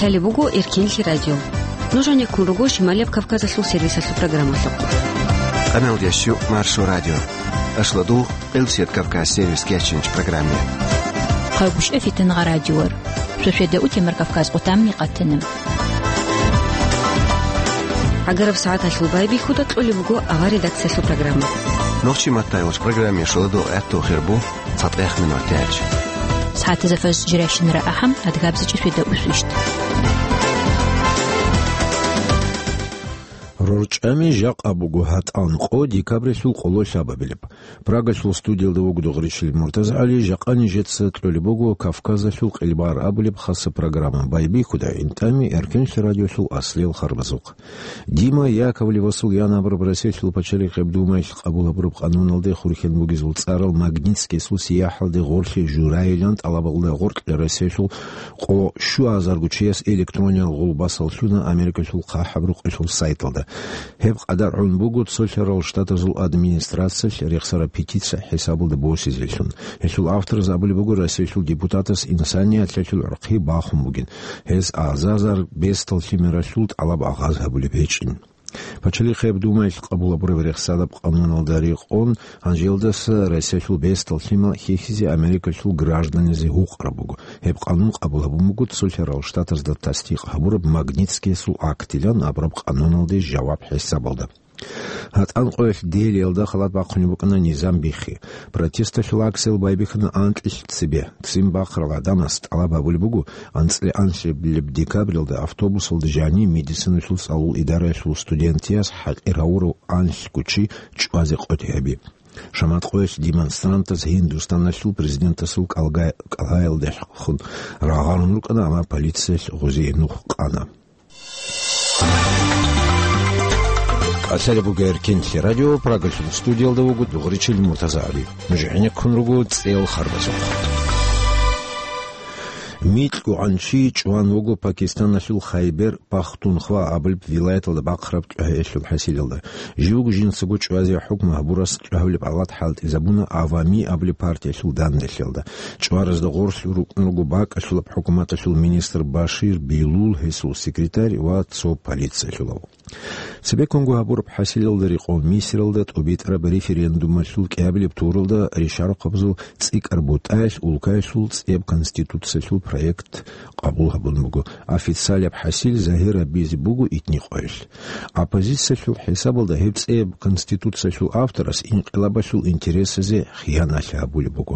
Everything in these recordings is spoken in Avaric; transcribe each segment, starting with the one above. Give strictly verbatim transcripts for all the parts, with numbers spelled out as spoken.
Лъалеб буго Эркенлъи радио. Нуж гьанеккун руго Шималияб Кавказалъул сервисалъул программалъухъ. Къаналдияс щу Маршо радио. Ашладугъ, Къилсият Кавказ сервис кечинч программе. Хъагушев Фитангъа радиор. Шошеда утемар Кавказ къутамни къатана. ГӀагараб сагӀаталъул байбихьуда кьолеб буго авар редакциялъул программа. Нохчи маттайвач программе шоладо гӀатту хирбу. ЦатӀехъ минут тяч. СагӀатазда фаз жирайщинара ахӀам, адгабзичӀи шведа усвищт. РорчӀами жакъа буго гьатӀан къо декабрилъул къоло лъабабилеб. Прагалъул студиялда вугода Гъричил МуртазагӀали, жакъа нижеца кьолеб буго Кавказалъул къилбагӀар абулеб хаса программа. Байбихьуда гӀинтӀами Эркенлъи радиолъул аслиял харбазухъ. Дима Яковлевасул янабураб Россиялъул пачалихъеб Думаялъ къабул гьабураб къануналде хурхьен бугезул цӀарал Магнитскиясул сияхӀалде гъорлъе журайилан тӀалабалда гъоркье Россиялъул къо щуазарго чияс электрониял гъулбасал лъуна Америкалъул хъахӀаб рукъалъул сайталда. Гьеб къадар гӀун буго Цолъарал Штатазул администрациялъ рехсараб петиция хӀисабалда босизелъун. Гьелъул автораз абулеб буго Россиялъул депутатас инсанияталъул гӀурхъи бахун бугин. Гьез азазар бесдал лъимералъул тӀалаб агъаз гьабулеб гьечӀин. Пачалихъеб Думаялъ къабул гьабураб рехсараб къануналда рекъон, гьанжелдаса Россиялъул бесдал лъимал хьихьизе Америкалъул гражданизе гьукъараб буго. Гьеб къанун къабул гьабун буго Цолъарал Штатазда тасдикъ гьабураб Магнитскиясул актилан абураб къануналде жаваб хӀисабалда. ГьатӀан къоялъ Делиялда халат бахъунеб букӀана низам биххи. Протесталъул акциялъ байбихьана анкьилъ цебе. Ццин бахъарал гӀадамас тӀалаб гьабулеб буго, анцӀила анлъабилеб декабралда автобусалда жанив медициналъул цӀалул идараялъул студентияс хӀакъир гьавурав анлъго чи чӀвазе къотӀи гьаби. Шамат къоялъ демонстрантаз Гьиндустаналъул президентасул кӀалгай-, кӀалгӀаялдехун рагъарун рукӀана, амма полициялъ гъозие нух къана. Калъалеб буго Эркенлъи радио, Прагалъул студиялда вуго Дугъричил МуртазагӀали. Нуж гӀенеккун руго цӀел харбазухъ. Микьугьан чи чӀван вуго Пакистаналъул Хайбер Пахтунхва абулеб вилаяталда бахъараб тӀугӀаялъул хӀасилалда. Живго жинцаго чӀвазе хӀукму гьабурас тӀагьулеб гӀалат хӀалтӀизабуна Авами абулеб партиялъул данделъиялда. ЧӀваразда гъорлъ рукӀун руго бакӀалъулаб хӀукуматалъул министр Башир Билул, гьесул секретарь ва цо полициялъулав. Цебеккунго гьабураб хӀасилалда рекъон Мисралда тӀубитӀараб референдумалъул кӀиабилеб туралда ришарухъабазул цӀикӀкӀар бутӀаялъ улкаялъул цӀеб конституциялъул проект къабул гьабун буго. Официалияб хӀасил загьир гьабизе буго итни къоялъ. Оппозициялъул хӀисабалда гьеб цӀеб конституциялъул авторас инкъилабалъул интересазе хияналъи гьабулеб буго.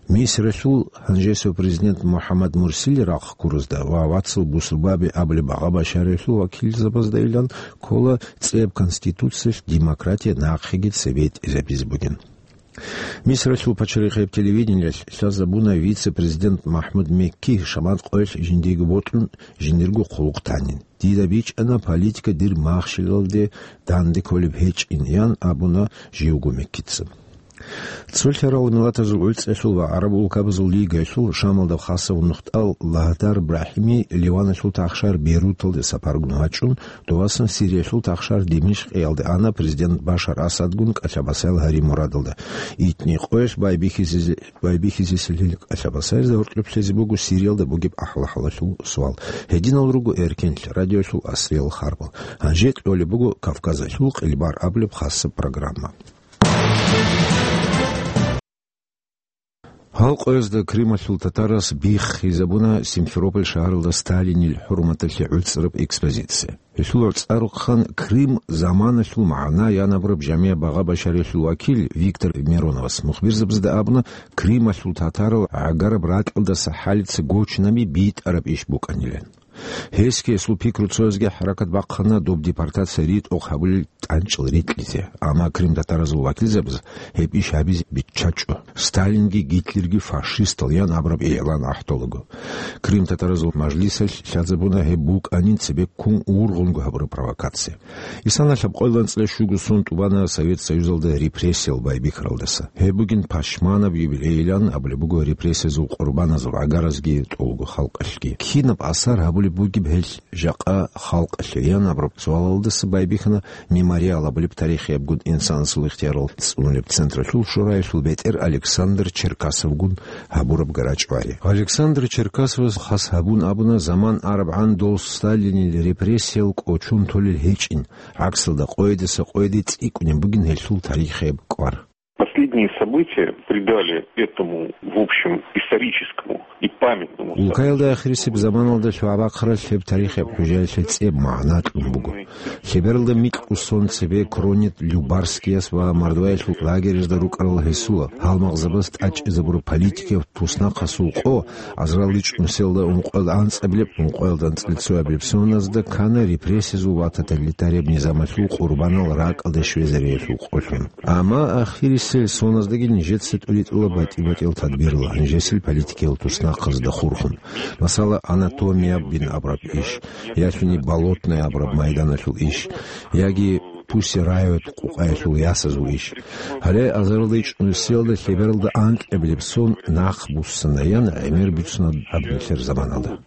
Мисралъул гьанжесев президент МухӀаммад Мурсили рахъ ккурузда ва вацал бусурбаби абулеб Багъа Башариялъул вакилзабаздайилан ккола цӀеб конституциялъ демократия нахъеги цебетӀизабизе бугин. Мисралъул пачалихъеб телевидениялъ лъазабуна вице-президент МахӀмуд Мекки шамат къоялъ жиндиего бокьун, жиндирго хъулухъ танин. Дида бичӀчӀана политика дир махщелалде данде кколеб гьечӀин, ян абуна живго Меккица. Цолъарал миллатазул гӀуцӀиялъул ва ГӀараб улкабазул лигаялъул Шамалда хасав нухтӀал Лагьдар Брахими Ливаналъул тахшар Бейруталде сапаргун вачӀун, довасан Сириялъул тахшар Димишкъиялде ана президент Башар Асадгун кӀалъабасаял гьари мурадалда. Итни къоялъ байбихьизезе-, байбихьизесилил кӀалъабасаязда гьоркьоб лъезе буго Сириялда бугеб ахӀла-хӀалалъул суал. Гьединал руго Эркенлъи радиоялъул асриял харбал. Гьанже кьолеб буго Кавказалъул къилбар абулеб хасаб программа. Гьал къоязда Крымалъул татарас биххизабуна Симферополь шагьаралда Сталинил хӀурматалъе гӀуцӀараб экспозиция. Гьелъул гӀуцӀарухъан Крым заманалъул магӀна янабураб жамигӀ Багъа Башариялъул вакил Виктор Мироновас мухбирзабазда абуна, Крымалъул татарал гӀагараб ракьалдаса хӀалица гочнаби битӀараб иш букӀанилан. Гьесги гьесул пикруцоязги хӀаракат бахъана доб депортация ритӀухъ гьабулел тӀанчӀал рикьизе, амма крымтатаразул вакилзабаз гьеб иш гьабизе биччачӀо, Сталинги Гитлерги фашистал ян абураб игӀлан ахӀдолаго. Крымтатаразул мажлисалъ лъазабуна гьеб букӀанин цебеккун ургъунго гьабураб провокация. Исаналъаб къоялда анцӀила щуго сон тӀубана Совет Союзалда репрессиял байбихьаралдаса. Гьеб бугин пашманаб юбилейилан абулеб буго репрессиязул къурбаназул гӀагаразги тӀолго халкъалъги. Кинаб асар гьабулеб бугеб гьел жакъа халкъалъе? Ян абураб суалалдаса байбихьана Ариал абулеб тарихиябгун инсанасул ихтиярал цӀунулеб централъул шораялъул бетӀер Александр Черкасовгун гьабураб гарачӀвари. Александр Черкасовас хас гьабун абуна, заман арабгӀан дол Сталинил репрессиял кӀочон толел гьечӀин, гӀаксалда къойидаса къойиде цӀикӀкӀунеб бугин гьелъул тарихияб кӀвар. Последние события придали этому, в общем, историческому и памятному Улкаялда ахирисеб заманалда лъугӀа-бахъаралъ гьеб тарихияб хӀужаялъе цӀеб магӀна кьун буго. Лъебералда микьго сон цебе Кронет, Любарскияс ва мордваялъул лагерьазда рукӀарал гьесул гьалмагъзабаз тӀадчӀезабураб политикияб туснахъасул къо, азарал ичӀнусиялда ункъоялда анцӀабилеб, ункъоялда анцӀила цоябилеб соназда ккана репрессиязул ва тоталитарияб низамалъул къурбанал ракӀалде щвезариялъул къолъун. Амма ахирисел соназдаги нижеца тӀуритӀула батӀи-батӀиял тадбирал, нижесил политикиял туснахъазда хурхун. Масала, анатомияб бин абураб иш, ялъуни болотная абураб майданалъул иш, яги Пуссе райоялъ къукъаялъул ясазул иш. Гьале азаралда ичӀнусиялда лъебералда анкьабилеб сон нахъ буссана, ян гӀемер бицуна гьаб нилъер заманалда.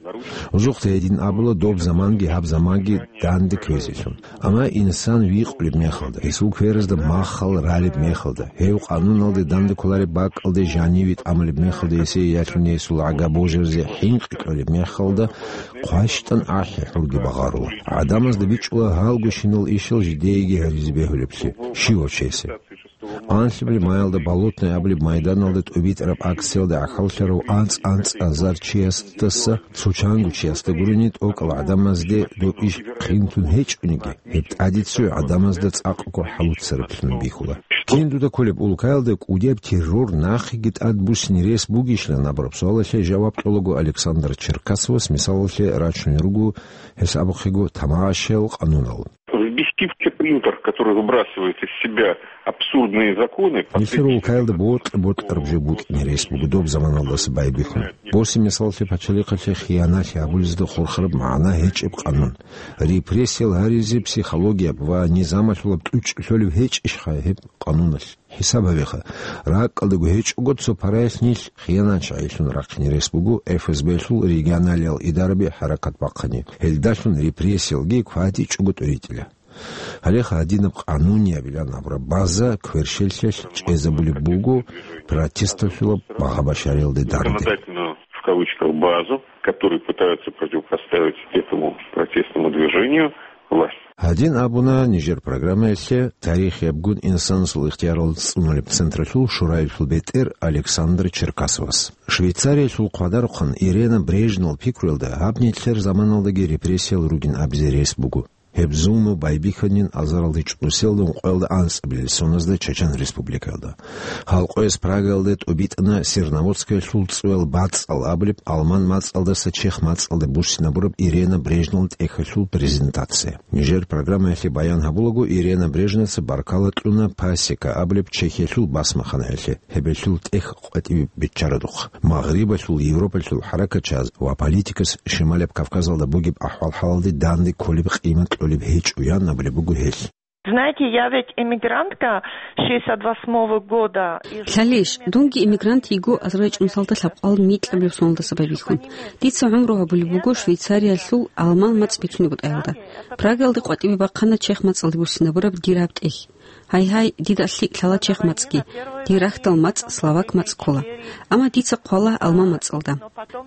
Узухъе гьедин абула доб заманги гьаб заманги данде кквезелъун. Амма инсан викъулеб мехалда, гьесул кверазда маххал ралеб мехалда, гьев къануналде данде кколареб бакӀалде жаниве тӀамулеб мехалда, гьесие ялъуни гьесул гӀага божаризе хӀинкъи кьолеб мехалда, хъващтӀан ахӀи-хӀурги багъарула. ГӀадамазда бичӀчӀула гьалгощинал ишал жидееги гьаризе бегьулеблъи, щивав чиясе. Анлъабилеб маялда болотная абулеб майданалда тӀубитӀараб акциялда гӀахьаллъарав анцӀ-анцӀазар чиясдаса цо чанго чиясда гурони, тӀокӀал гӀадамазде доб иш хъинтун гьечӀониги, гьеб тӀаде цо гӀадамазда цӀакъго хӀалуцараблъун бихьула. Кин дуда кколеб улкаялда кӀудияб террор нахъеги тӀад буссине рес бугищилан абураб суалалъе жаваб кьолаго Александр Черкасовас мисалалъе рачунел руго, гьес абухъего, тамашаял къанунал. Взбесившийся принтер, который выбрасывает из себя абсурдные законы, Нилъер улкаялда бокьа-бокьараб жо букӀине рес буго доб заманалдаса байбихьун. Босе мисалалъе пачалихъалъе хиянатги гьабулезда хурхараб магӀна гьечӀеб къанун. Репрессиял гьаризе психологияб ва низамалъулаб тӀучӀ лъолеб гьечӀищха гьеб къануналъ? ХӀисаб гьабеха, ракӀалдаго гьечӀого цо параялъ нилъ хиянатчагӀилъун рахъине рес буго ФСБ-лъул регионалиял идараби хӀаракат бахъани. Гьелдалъун репрессиялги кватӀичӀого тӀуритӀила. Гьалеха гьадинаб къануниябилан абураб база кверщелъиялъ чӀезабулеб буго протесталъулаб багъа-башариялде данде. Законодательную, в кавычках, базу, которые пытаются противопоставить этому протестному движению власть. Гьадин абуна нижер программаялъе тарихиябгун инсанасул ихтиярал цӀунулеб централъул шораялъул бетӀер Александр Черкасовас. Швейцариялъул хъвадарухъан Ирена Брежневал пикруялда гьаб нилъер заманалдаги репрессиял ругин абизе рес буго. Гьеб зулму байбихьанин азаралда ичӀнусиялда ункъоялда анцӀабилел соназда Чачан Республикаялда. Халкъояс Прагаялда тӀубитӀана Серноводскаялъул цӀуял бацӀцӀал абулеб алман мацӀалдаса чех мацӀалде буссинабураб Ирена Брежневалда тӀехьалъул презентация. Нижер программаялъе баян гьабулаго, Ирена Брежневаца баркала кьуна Пасека абулеб Чехиялъул басмаханаялъе, гьебелъул тӀехь къватӀибе биччарадухъ. Магърибалъул, Европалъул хӀаракатчияз ва политикас Шималаб Кавказалда бугеб ахӀвал-хӀалалде данде кколеб къимат кьолеб гьечӀо, ян абулеб буго гьелъ. Знаете, я ведь эмигрантка шестьдесят восьмого года из Лъалищ, дунги эмигрант йиго азарал ичӀнусиялда лъабкъоялда микьабилеб соналдаса байбихьун. Дица гӀумру гьабулеб буго Швейцариялъул алман мацӀ бицунеб бутӀаялда. Прагаялда къватӀибе бахъана чех мацӀалде буссинабураб дир гьаб тӀехь. Гьай-гьай, дида лъикӀ лъала чех мацӀги, дир рахьдал мацӀ словак мацӀ ккола. Амма дица хъвала алман мацӀалда.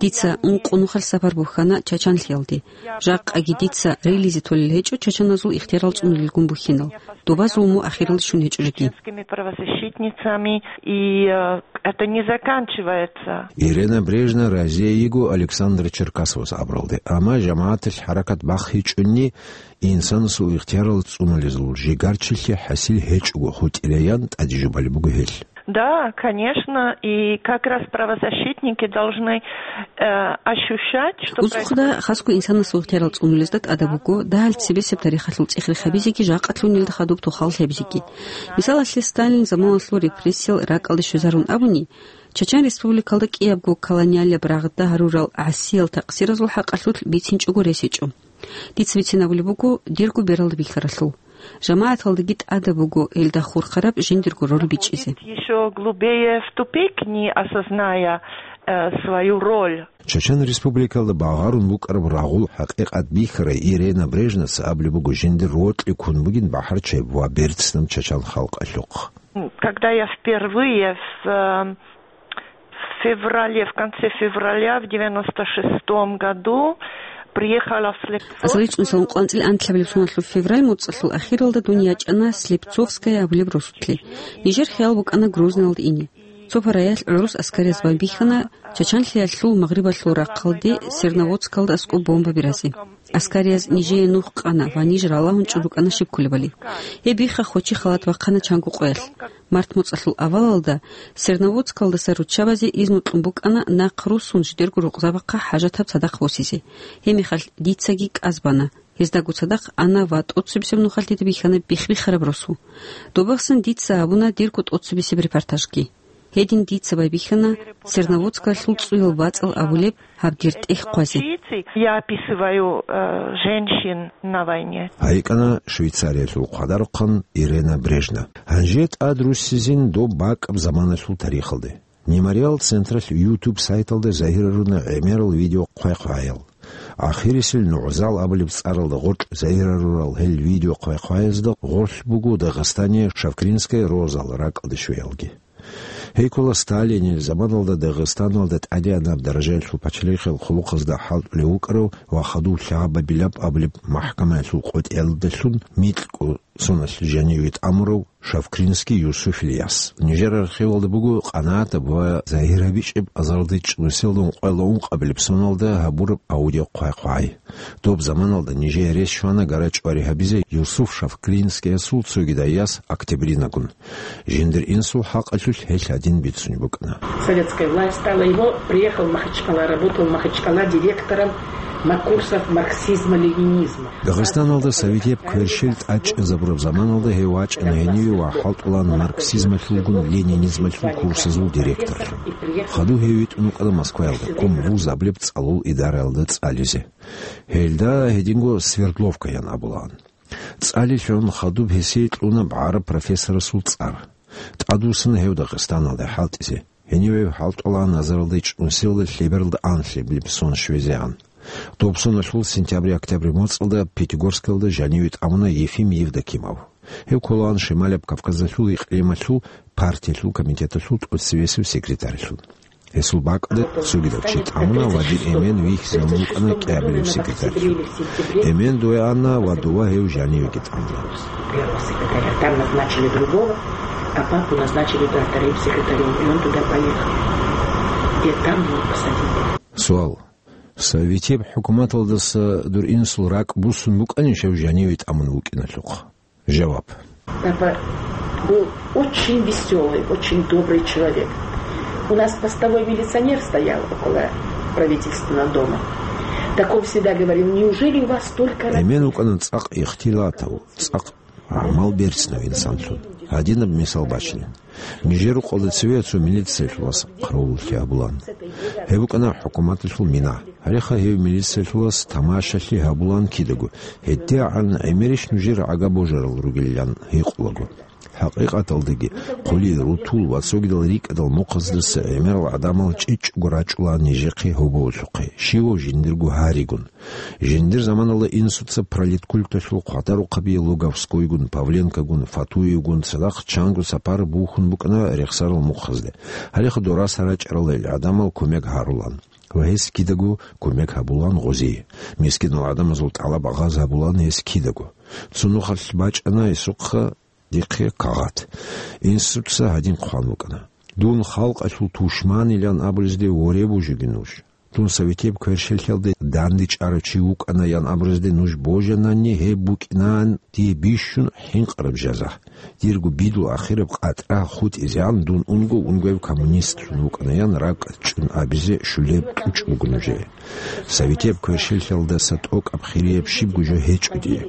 Дица ункъо нухалъ сапар бухьана Чачанлъиялде. Жакъаги дица релизе толел гьечӀо чачаназул ихтиярал цӀунулелгун бухьинал. Доба зулму ахиралде щун гьечӀо жеги. Чешскими правозащитницами, и, э, это не заканчивается. Ирена Брежнева разие йиго Александр Черкасовас абуралде, амма жамагӀаталъ хӀаракат бахъичӀони, инсанасул ихтиярал цӀунулезул жигарчилъи хӀасил гьечӀого хутӀилаян тӀаде жубалеб буго гьелъ. Да, конечно, и как раз правозащитники должны, э, ощущать, что Узухъда происходит. Хасго инсанасул ихтиярал цӀунулезда тӀадаб буго, дагьал цебесеб тарихалъул цӀех-рех гьабизеги жакъалъун гьелда хадуб тухал гьабизеги. Мисалалъе, Сталин заманалъул репрессиял ракӀалде щвезарун абуни, Чачан Республикалда кӀиябго колониалияб рагъда гьарурал гӀасиял такъсиразул хӀакъалъулъ бицинчӀого рес гьечӀо. Дица бицинабулеб буго дирго бералда бихьаралъул. ЖамагӀаталдаги тӀадаб буго гьелда хурхараб жиндирго роль бичӀчӀизе. Ещё глубее в тупик, не осозная э, свою роль. Чачан Республикалда багъарун букӀараб рагъул хӀакъикъат бихьарай Ирена Брежневица абулеб буго, жиндир рокьи ккун бугин бахӀарчияб ва берцинаб чачан халкъалъухъ. Когда я впервые в, э, в феврале, в конце февраля в девяносто шестом году приехала в Слепцово. Асал рицун салун къванцӀил анлъабилеб соналъул февраль моцӀалъул ахиралда дун ячӀана Слепцовская абулеб росулъе. Нижер хиял букӀана Грозныйалда ине. Цо параялъ гӀурус аскарияз байбихьана Чачанлъиялъул магърибалъул рахъалде Серноводскалда аскӀоб бомба биразе. Аскарияз нижее нух къана ва ниж ралагьун чӀун рукӀана щиб кколебали. Гьеб бихха хочи халат бахъана чанго къоялъ. Март моцӀалъул авалалда Серноводскалдаса руччабазе изну кьун букӀана нахъ руссун жидерго рукъзабахъа хӀажатаб цадахъ босизе. Гьеб мехалъ дицаги кӀаз бана. Гьездаго цадахъ ана ва тӀоцебесеб нухалъ дида бихьана бихбихараб росу. Добахъсан дица гьабуна дирго тӀоцебесеб репортажги. Гьедин дица байбихьана Серноводскалъул цӀуял бацӀал абулеб гьаб дир тӀехь хъвазе. Я описываю, э, женщин на войне. ГьайикӀана Швейцариялъул хъвадарухъан Ирена Брежневица. Гьанже тӀад руссизин доб бакӀаб заманалъул тарихалде. Мемориал централъ YouTube сайталда загьируна гӀемерал видео хъвай-хъваял. Ахирисел НугӀзал абулеб цӀаралда гъоркь загьирарурал гьел видео хъвай-хъваязда гъорлъ буго Дагъистане Шавкринская розал ракӀалде щвеялги. Гьей ккола Сталинил заманалда Дагъистаналда тӀадегӀанаб даражаялъул пачалихъал хъулухъазда хӀалтӀулев вукӀарав ва хадув лъабабилаб абулеб махӀкамаялъул къотӀиялдалъун микьго соналъ жаниве тӀамурав Шавкринский Юсуфил яс. Нижер архивалда буго къанагӀатаб ва загьир гьабичӀеб азарилда чӀунусиялда ункъоялда ункъабилеб соналда гьабураб аудио хъвай-хъвай. Доб заманалда нижее рес щвана гара-чӀвари гьабизе Юсуф Шавкринскиясул цогидай яс Октябринагун. Жиндир инсул хӀакъалъулъ гьелъ гьадин бицунеб букӀана. Советская власть стала его, приехал в Махачкала, работал в Махачкала директором на курсах марксизма-ленинизма. Дагъистаналда советияб кверщел тӀадчӀезабураб заманалда гьев вачӀана гьениве ва хӀалтӀулаан марксизмалъулгун ленинизмалъул курсазул директорлъун. Хадув гьев витӀун вукӀана Москваялда, кум вуз абулеб цӀалул идараялда цӀализе. Гьелда гьединго Свердловка ян абулаан. ЦӀалилъун хадуб гьесие кьуна гӀараб профессорасул цӀар. ТӀадвуссана гьев Дагъистаналде хӀалтӀизе. Гьениве хӀалтӀулаан азарилда чӀунусиялда лъебералда анлъабилеб сон щвезегӀан. Доб соналъул сентябрь-октябрь моцӀалда Пятигорскалда жаниве тӀамуна Ефим Евдокимов. Гьев кколаан Шималияб Кавказалъул икълималъул партиялъул комитеталъул тӀоцебесеб секретарьлъун. Гьесул бакӀалда цогидал чи тӀамуна ва дир эмен вихьизабун вукӀана кӀиабилев секретарь. Эмен дое ана ва дова гьев жанивеги тӀамуна. Первого секретаря. Там назначили другого, а папу назначили, да, вторым секретарем, и он туда поехал. И там его посадили. Суал. Советияб хӀукуматалдаса дур инсул ракӀ буссун букӀанищ гьев жаниве тӀамун вукӀиналъухъ? Жаваб. Папа был очень весёлый, очень добрый человек. У нас постовой милиционер стоял около правительственного дома. Так он всегда говорил: «Неужели у вас столько рабочих?» Эмен вукӀана цӀакъ ихтилатав, цӀакъ гӀамал берцинав инсанлъун. Гьадинаб мисал бачинин. Нижер рукъалда цеве цо милициялъулас хъаравуллъи гьабулаан. Гьеб букӀана хӀукуматалъул мина. Гьалеха гьев милициялъулас тамашалъи гьабулаан кидаго, гьедигӀан гӀемерищ нужер гӀага божарал ругилан гьикъулаго. ХӀакъикъаталдаги, хъули, рутул ва цогидал рикӀкӀадал мухъаздаса гӀемерал гӀадамал чӀечӀого рачӀула нижехъе гьоболлъухъе, щивав жиндирго гьаригун. Жиндир заманалда инсуца пролеткульталъул хъвадарухъабиялъ Луговскойгун, Павленкогун, Фатуевгун цадахъ чанго сапар бухьун букӀана рехсарал мухъазде. Гьалеха дораса рачӀарал гьел гӀадамал кумек гьарулан ва гьес кидаго кумек гьабулан гъозие. Мискинал гӀадамазул тӀалаб гъаз гьабулан гьес кидаго. Цо нухалъ бачӀана гьесухъа дихъе кагъат. Инсуца гьадин хъван букӀана: «Дун халкъалъул тушманилан абулезде воре бужиги нуж. Дун советияб кверщеллъиялде дандечӀарав чи вукӀана ян абурезде нуж божанани, гьеб букӀинаан дие бищун хӀинкъараб жаза. Дирго бидлу ахираб къатӀра хутӀизегӀан дун унго-унгояб коммунистлъун вукӀана ян ракӀ чӀун абизе щулеб кьучӀ буго нужее. Советияб кверщеллъиялдаса тӀокӀаб хирияб щибго жо гьечӀо дие».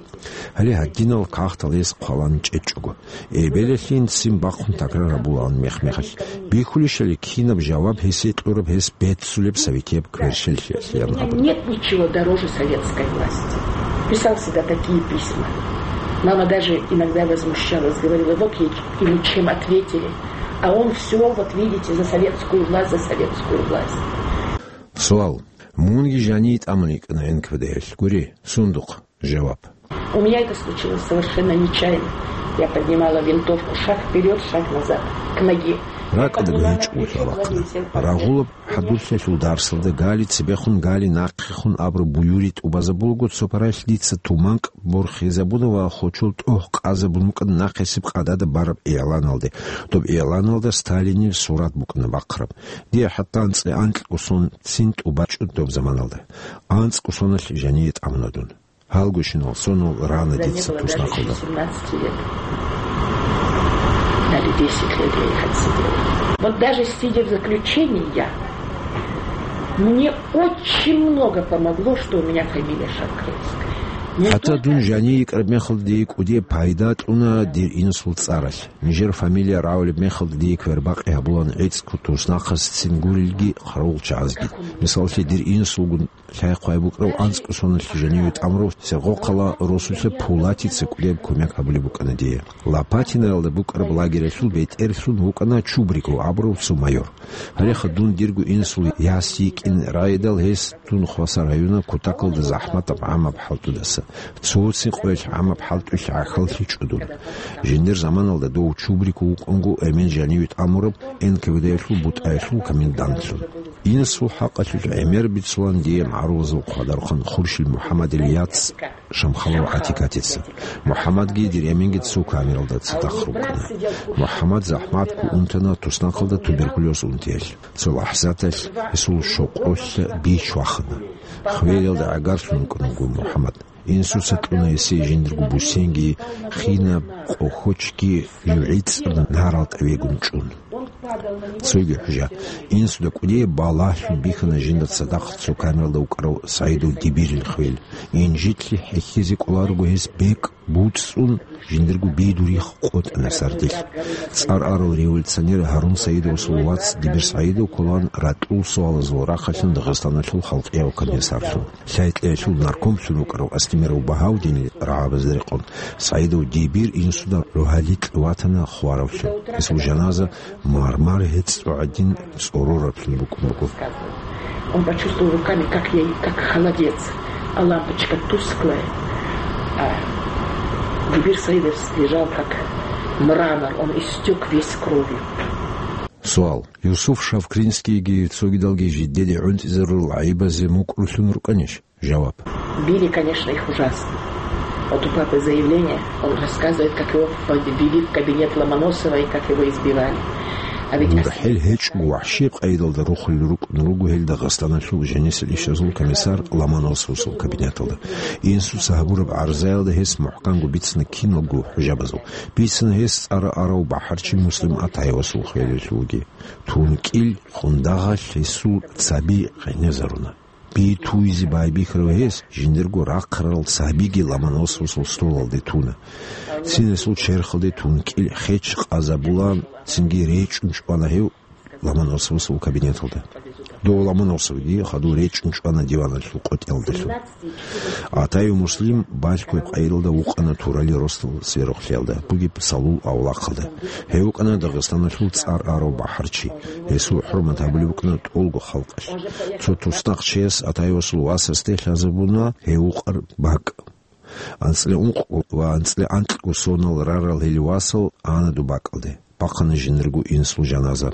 Гьале гьадинал кагътал гьес хъвалан чӀечӀого. Эбелалъин ццин бахъун такрар гьабулаан мех-мехалъ. Бихьулищали кинаб жаваб гьесие кьураб гьес беццулеб советияб кверщеллъиялъ ян абун. Нет ничего дороже советской власти. Писал всегда такие письма. Мама даже иногда возмущалась, говорила: «Вот ей ему чем ответили». А он всё, вот видите, за советскую власть, за советскую власть. Суал. Мунги жаниве тӀамун йикӀана Н К В Д-ялъ. Гури, сундухъ. Жаваб. У меня это случилось совершенно нечаянно. Я поднимала винтовку, шаг вперёд, шаг назад, к ноге. РакӀалда гьечӀо лъалахъана. Рагъулаб хӀадурлъиялъул дарсалда гали цебехун, гали нахъехун абураб буюри тӀубазабулаго, цо паралъ дица туманкӀ борхизабуна ва хочол тӀогь къазабун вукӀана нахъисеб къадада бараб игӀланалде. Доб игӀланалда Сталинил сурат букӀана бахъараб. Дие хӀатта анцӀила анкьго сон цин тӀубачӀо доб заманалда. АнцӀго соналъ жаниве тӀамуна дун. Гьалгощинал сонал рана дица туснахъалда. Даже семнадцати лет. Даже десять лет я их отсидела. Вот даже сидя в заключении, я, мне очень много помогло, что у меня фамилия Шавкринская. Мне... ХӀатта дун жаниве йикӀараб мехалда дие кӀудияб пайда кьуна дир инсул цӀаралъ. Нижер фамилия рагӀулеб мехалда дие квербакъи гьабулаан гӀицӀго туснахъасцин гурелги, хъаравулчагӀазги. Мисалалъе, дир инсулгун лъай-хъвай букӀарав анцӀго соналъ жаниве тӀамурав Сергокъала росулъа Пулатица кӀудияб кумек гьабулеб букӀана дие. Лопатиноялда букӀараб лагералъул бетӀерлъун вукӀана Чубриков абурав цо майор. Гьалеха дун дирго инсул яс йикӀин райдал гьес дун хвасар гьаюна кутакалда захӀматаб гӀамаб хӀалтӀудаса. Цоцин къоялъ гӀамаб хӀалтӀуялъ гӀахьаллъичӀо дун. Жиндир заманалда дов Чубриков вукӀунго эмен жаниве тӀамураб Н К В Д-ялъул бутӀаялъул комендантлъун. Инсул хӀакъалъулъ гӀемер бицулаан дие магӀарулазул хъвадархъан Хуршил МухӀаммадил яц Шамхалов ГӀатикатица. МухӀаммадги дир эменги цо камералда цадахъ рукӀана. МухӀаммад захӀматго унтана туснахъалда туберкулез унтиялъ. Цо лахӀзаталъ гьесул щокъолъа бич вахана. Хвелалда гӀагарлъун вукӀана вуго МухӀаммад. Инсуца кьуна гьесие жиндирго бусенги, хинаб къохочги, жугӀицӀаб нарал тӀавегун чӀун. Цоги хӀужа. Инсуда кӀудияб балагьлъун бихьана жинда цадахъ цо камералда вукӀарав СагӀидов Дибирил хвел. Инжитлъи хӀехьизе кӀоларого гьес бекӀ буцӀцӀун, жиндирго би дурихъ къотӀана сардилъ. ЦӀар арал революционер Гьарун Саидовасул вац Дибир СагӀидов кколаан ратӀул суалазул рахъалъан Дагъистаналъул халкъияв комиссарлъун. Лъай-лъаялъул наркомлъун вукӀарав Астемиров Багьавдинил рагӀабазда рекъон, СагӀидов Дибир инсуда рогьаликь ватана хваравлъун. Гьесул жаназа мармар гьецӀо гӀадин цӀорораблъун букӀун буго. Он почувствовал руками, как я, как холодец, а лампочка тусклая, а Дибир Саидов лежал как мрамор, он истёк весь кровью. Суал. Юсуф Шавкринскийги цогидалги жидеде гӀунтӀизарурал гӀайибазе мукӀурлъун рукӀанищ? Жаваб. Били, конечно, их ужасно. Вот у папы заявление, он рассказывает, как его ввели в кабинет Ломоносова и как его избивали. А ведь... ГурхӀел гьечӀого вахӀши къайдалда рухулел рукӀун руго гьел Дагъистаналъул жанисел ишазул комиссар Ломоносовасул кабинеталда. Инсуца гьабураб гӀарзаялда гьес мухӀканго бицина киналго хӀужабазул. Бицина гьес цӀар арав бахӀарчи Муслим Атаевасул хвелалъулги. ТункӀил къундагъалъ гьесул цаби къенезаруна. Би туйзе байбихьарав гьес жиндирго рахъарал цабиги Ломоносовасул столалде туна. Цин гьесул черхалде тункӀил хеч къазабулаан, цинги речӀун чӀвана гьев Ломоносовасул кабинеталда. Дов Ломоносовги хадув речӀун чӀвана диваналъул къотӀиялдалъун. Атаев Муслим балъгояб къайдалда вукъана Турали росдал сверухълъиялда бугеб Салул авлахъалда. Гьев вукӀана Дагъистаналъул цӀар арав бахӀарчи. Гьесул хӀурмат гьабулеб букӀана тӀолго халкъалъ. Цо туснахъчияс Атаевасул васасде лъазабуна гьев вукъараб бакӀ. АнцӀила ункъго ва анцӀила анкьго сонал рарал гьел васал ана доб бакӀалде. Бахъана жиндирго инсул жаназа.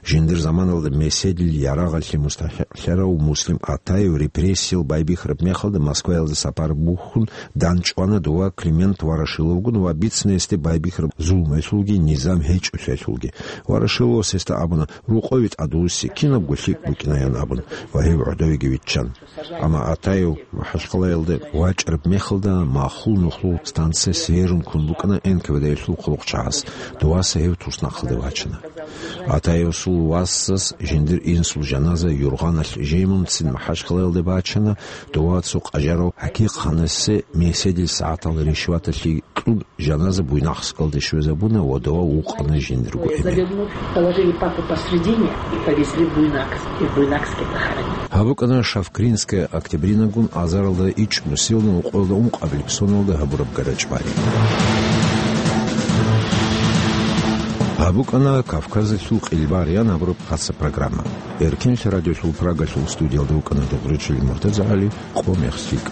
Жиндир заманалда меседил ярагъалъе мустахӀикълъарав Муслим Атаев репрессиял байбихьараб мехалда Москваялда сапар бухьун дандчӀвана дова Климент Ворошиловгун ва бицина гьесде байбихьараб зулмуялъулги низам гьечӀолъиялъулги. Ворошиловас гьесда абуна, рокъове тӀадвуссин, кинабго лъикӀ букӀинаян абун, ва гьев гӀодовеги виччан. Амма Атаев МахӀачхъалаялде вачӀараб мехалда махул нухлул станция Сверун ккун букӀана Н К В Д-ялъул хъулухъчагӀаз. Доваса гьев туснахъалде вачана. Атаевасул васас жиндир инсул жаназа юргъаналъ жемунцин МахӀачхъалаялде бачана, дова цо къажарав ХӀакикъ-ханасде меседил сагӀатал ришваталъе кьун жаназа Буйнакскалде щвезабуна ва дова вукъана жиндирго эмен. Завернув, положили папу посредине и повезли в Буйнакск, и в Буйнакске похоронили. Гьаб букӀана Шавкринская Октябринагун азаралда ичӀнусилан ва къоялда ункъабилеб соналда гьабураб гӀарачӀбари. Гьаб букӀана Кавказалъул къилбагӀариян абураб хасаб программа. Эркенлъи радиолъул Прагалъул студиялда вукӀана Дугъричилин МуртазагӀали, къо мех лъикӀ.